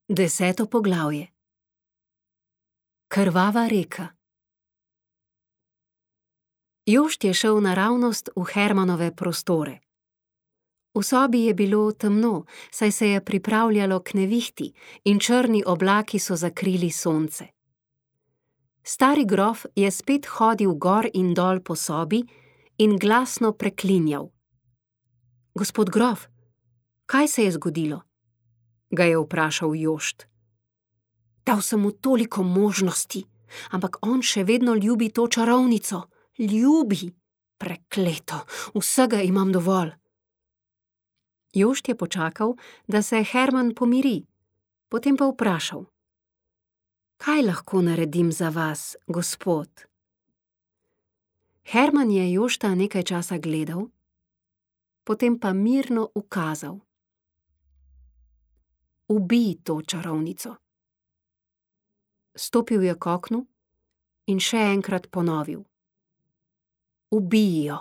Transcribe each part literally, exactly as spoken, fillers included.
Deseto poglavje. Krvava reka. Jošt je šel naravnost v Hermanove prostore. V sobi je bilo temno, saj se je pripravljalo k nevihti in črni oblaki so zakrili sonce. Stari grof je spet hodil gor in dol po sobi in glasno preklinjal. Gospod grof, kaj se je zgodilo? Ga je vprašal Jošt. Dal sem mu toliko možnosti, ampak on še vedno ljubi to čarovnico. Ljubi! Prekleto, vsega imam dovolj. Jošt je počakal, da se Herman pomiri, potem pa vprašal. Kaj lahko naredim za vas, gospod? Herman je Jošta nekaj časa gledal, potem pa mirno ukazal. Ubij to čarovnico. Stopil je k oknu in še enkrat ponovil. Ubij jo.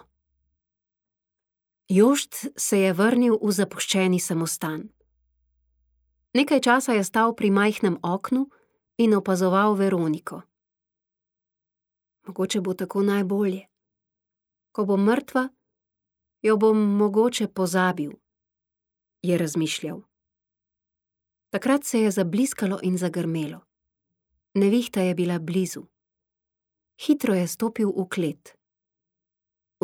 Jošt se je vrnil v zapuščeni samostan. Nekaj časa je stal pri majhnem oknu in opazoval Veroniko. Mogoče bo tako najbolje. Ko bom mrtva, jo bom mogoče pozabil, je razmišljal. Takrat se je zabliskalo in zagrmelo. Nevihta je bila blizu. Hitro je stopil v klet.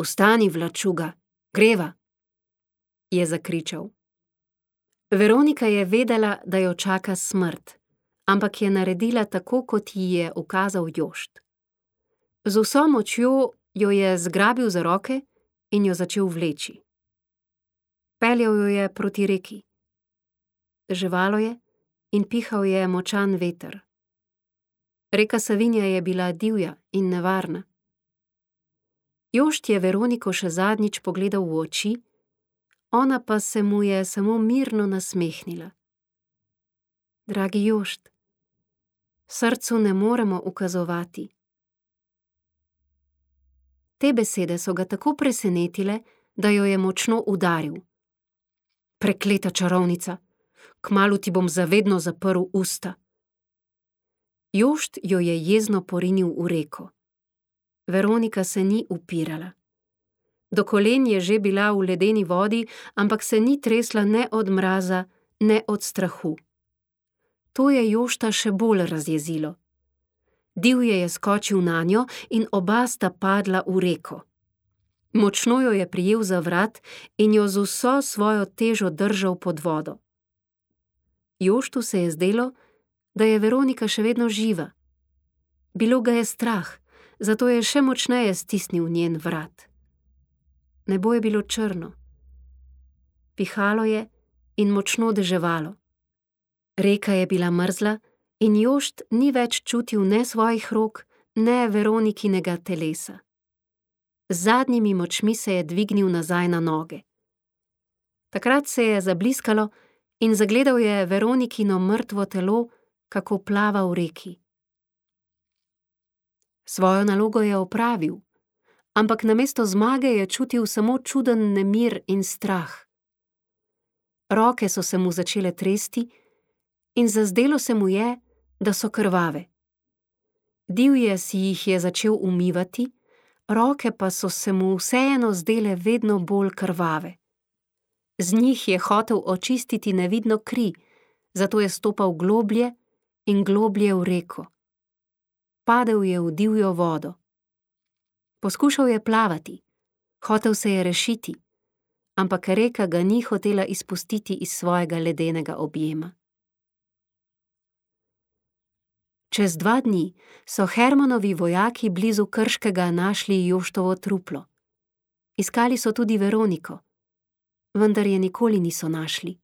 Vstani, vlačuga, greva, je zakričal. Veronika je vedela, da jo čaka smrt, ampak je naredila tako, kot ji je ukazal Jošt. Z vso močjo jo je zgrabil za roke in jo začel vleči. Peljal jo je proti reki. Deževalo je in pihal je močan veter. Reka Savinja je bila divja in nevarna. Jošt je Veroniko še zadnjič pogledal v oči, ona pa se mu je samo mirno nasmehnila. Dragi Jošt, srcu ne moremo ukazovati. Te besede so ga tako presenetile, da jo je močno udaril. Prekleta čarovnica, kmalu ti bom zavedno zaprl usta. Jošt jo je jezno porinil v reko. Veronika se ni upirala. Do kolen je že bila v ledeni vodi, ampak se ni tresla ne od mraza, ne od strahu. To je Jošta še bolj razjezilo. Divje je skočil nanjo in oba sta padla v reko. Močno jo je prijel za vrat in jo z vso svojo težo držal pod vodo. Joštu se je zdelo, da je Veronika še vedno živa. Bilo ga je strah, zato je še močneje stisnil njen vrat. Nebo je bilo črno. Pihalo je in močno deževalo. Reka je bila mrzla in Jošt ni več čutil ne svojih rok, ne Veronikinega telesa. Z zadnjimi močmi se je dvignil nazaj na noge. Takrat se je zabliskalo in zagledal je Veronikino mrtvo telo, kako plava v reki. Svojo nalogo je opravil, ampak namesto zmage je čutil samo čuden nemir in strah. Roke so se mu začele tresti in zazdelo se mu je, da so krvave. Divje si jih je začel umivati, roke pa so se mu vseeno zdele vedno bolj krvave. Z njih je hotel očistiti nevidno kri, zato je stopal globlje in globlje v reko. Padel je v divjo vodo. Poskušal je plavati, hotel se je rešiti, ampak reka ga ni hotela izpustiti iz svojega ledenega objema. Čez dva dni so Hermanovi vojaki blizu Krškega našli Joštovo truplo. Iskali so tudi Veroniko, vendar je nikoli niso našli.